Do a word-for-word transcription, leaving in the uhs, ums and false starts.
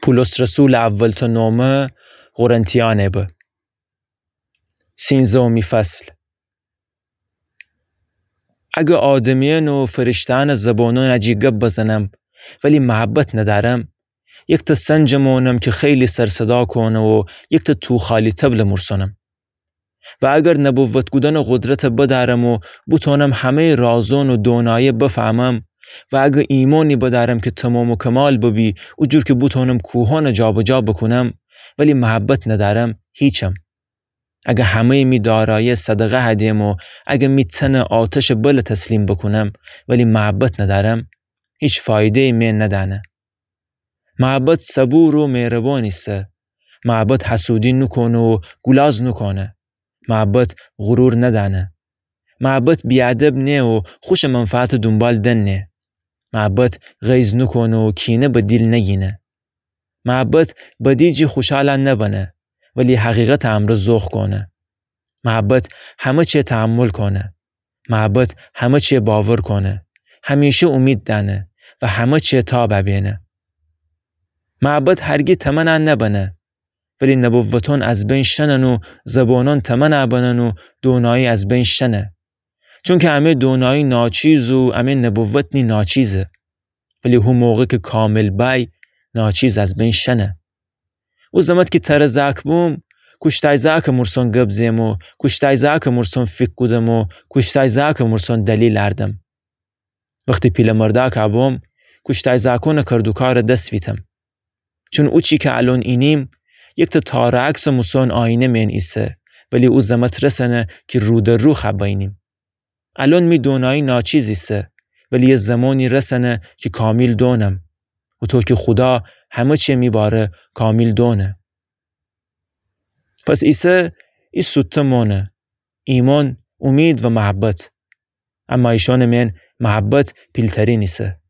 پولس رسولٚ اولتأ نومه قرنتیأنه به. سینزهمی فصل. اگه آدمیأن و فرشته‌أنٚ زبونأن جی گب بزنم، ولی محبت ندأرم، یکتأ سنجٚ مؤنم کی خیلی سرصدا کونه و یکتأ توخالی طبلٚ مورسونم. و اگر نبوت کودنٚ قدرت بدأرم و بوتونم همه‌یٚ رازون و دونایه بفهمم، و اگر ایمأنی بدأرم کی تومام و کمال ببی، او جور کی بوتونم کوهأن جابجا بوکونم، ولی محبت ندأرم، هیچم. اگر همه‌یٚ می دارایه صدقه هدم و اگر می تن آتشٚ بل تسلیم بوکونم، ولی محبت ندأرم، هیچ فایده‌یی می ندأنه. محبت صبور و مهربان ایسه. محبت حسودی نوکونه و گولاز نوکونه. محبت غرور ندأنه. محبت بی‌ادب نیه و خوشٚ منفعتٚ دونبال دنه. محبت غیظ نوکونه و کینه به دیل نگینه. محبت بدی جی خوشحال نبنه، ولی حقیقتٚ امرأ ذوق کونه. محبت همه چی تحمل کونه. محبت همه چی باور کونه، همیشه اومید دأنه و همه چی تاب بینه. محبت هرگی تمنا نبنه، ولی نبوتأن از بین شنن و زبونأن تمنا بنن و دونایی از بین شنه. چونکی امه دونایی ناچیز و امه نبوت نی ناچیزه. ولی هو موقع کی کامل بأی، ناچیز از بین شنه. او زمت کی تره زأک بوم، کوشتای زأکٚ مورسون گب زئم و کوشتای زأکٚ مورسون فیکر کودم و کوشتای زأکٚ مورسون دلیل اردم. وختی پیله مردأک بوم، کوشتای زأکونٚ کردوکار دس ویتم. چون او چی کی الون اینیم، یکتأ تارعکسٚ موسون آینه مئن ایسه، ولی او زمت رسنه کی رو در رو خأ بینیم. الون می دونایی ناچیز ایسه، ولی یه زمانی رسنه کی کامیل دونم. هوطو کی خودا همه چی می باره کامیل دونه. پس ایسه ای سوتته مونه: ایمأن، اومید و محبت. اما ایشأنٚ مئن محبت پیلترین ایسه.